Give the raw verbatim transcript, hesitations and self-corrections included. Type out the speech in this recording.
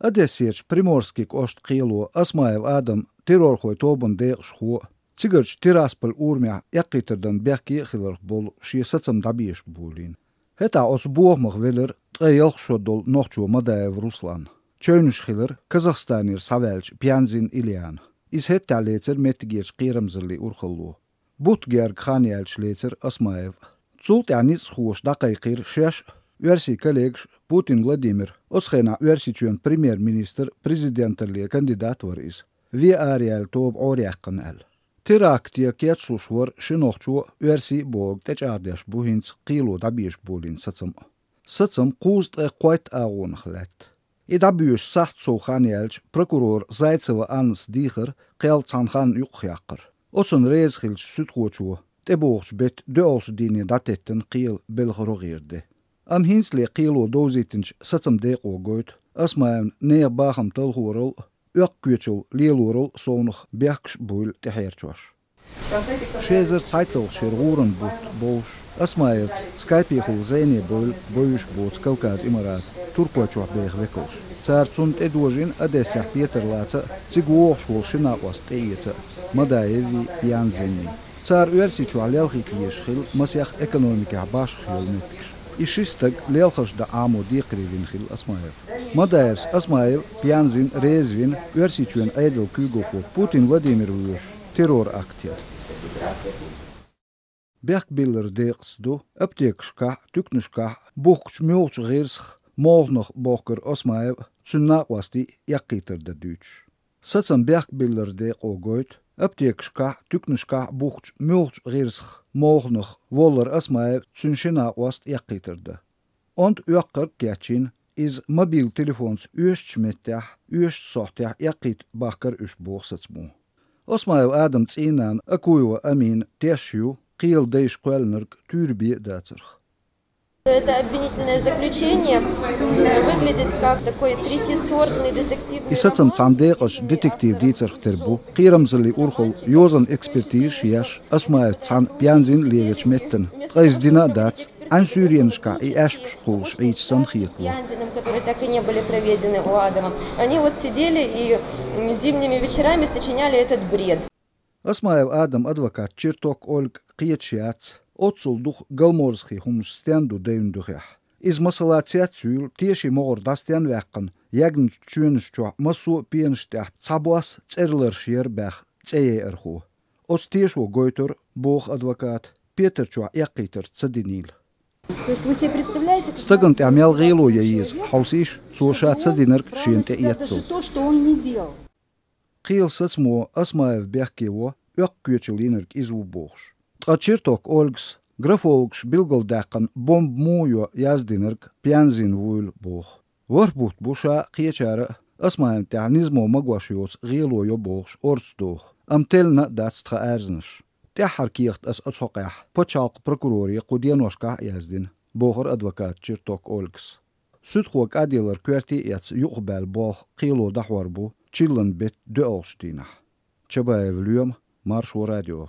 Одессеч Приморскик ошт қийлу Асмаев Адам террорхой тобын дейқшху. Цигырч Тирасполь урмя яқитырдан бяхки хиларх бол шиесацам дабиеш булин. Хета ос буохмах велер тғайялх шодол нохчу Мадаев Руслан. Чөйніш хилар Казахстанир Савельч Пьянзин Ильян. Из хетта лецер метгерч қирамзырли урхаллу. Бутгер Кханиялч лецер Асмаев. Цулт яниц хуш дақайқир шеш Верси коллегш Путин Владимир. Осхена версичуен премьер-министр президентерле кандидат вар из. Ви ариал тоб оряққан әл. Терактия кетшушвар шинохчу верси бог течардеш бухинц қилу дабиш булин сацам. Сацам қуст қойт ағуынық ләт. И дабиш сахт Суханиялч прокурор Зайцева Анс Дихер қел цанхан юқяқыр. Осын резхилч сүтхуачу. Тебоғш бет дөолш дини датеттен қил белғырғирді. Am hinsle qilo dozitins satsam deqo goit asmaen neer baxam talhurul ökküçül lielurul sonuq berkş bul teherçoş. Şezer Zeitung şerguren but boş asmaet Skype hul zene bul boyuş but Kavkaz Imarat Turkoçoq beğ vekos. Tsartsunt edojin Adessa Peterlatsa Tsiguox hul shina was teyetsa Madaevi Pyanzeni. Tsar versiçu alelxik yeşxil masyax ekonomika baş xilmetkiş. Ишистаг лелхаш да амо дикривин хил Асмаев. Мадаевс Асмаев Пьянзин Резвин версичуен айдел кюгоху Путин Владимир Вуш террор актер. Беркбиллер дексду аптекшка тукнушка бухч мёлч герсх молнох бохкер Асмаев цунна васти якитер да дюч. Сацам Беркбиллер де огойт Аптекшка, тукнушка, бухч, мёлч, гирсх, молнох, воллер Асмаев, цуншина васт яқитырды. Онд уаққыр кәчин, из мобил телефонс үйшч меттях, үйшч соқтях яқит баққыр үш боқсатсму. Асмаев Адам цинан, акуева амин, тешью, қиыл дейш қуэлнерг, тюрби дацырх. Это обвинительное заключение выглядит как такой третьесортный детективный И сацам цандеqаш детектив дицарх тербу, қирамзали урхол йозан экспертиш яш, Асмаев цан Пьянзин левич меттен, тғайздина дац, ан сюриеншка и эшпшкулш эйч санхиету. Пьянзиным, которые так и не были проведены у Адама. Они вот сидели и зимними вечерами сочиняли этот бред. Асмаев Адам адвокат Черток Ольг қиетшиац, Отsul дух галморсхи хумш стенду дейндухях. Из масалацият сюл теши могор дастян вяққан, ягн чүншчу масу пиенштях цабуас церлершер бях цее эрху. Ос тешу гойтер, бог адвокат, Петерчу яқитер цадинил. То есть вы себе представляете... Стагант амял гейлу яиз, хаусиш, цуша цадинерк шиенте яцу. То, что он не делал. Қиыл сацмо Асмаев бяхкево, ökküçülинерк изу богш. Тачирток Ольгс, графологш билгалдаққан бомб муйо яздинерк Пьянзин вуйл бог. Варбут буша қиечары Асмаев тянизмо магвашиоц гилойо богш орцдох. Амтелна дацтха әрзніш. Тяхар киехт ас ацоқях. Почалқ прокурори қуденошка яздин. Богыр адвокат Чирток Ольгс. Südhuak adilер кверти яц юқбәл бог қило дахварбу чиллан бет дөолштинах. Чабаев Люем, Маршу радио.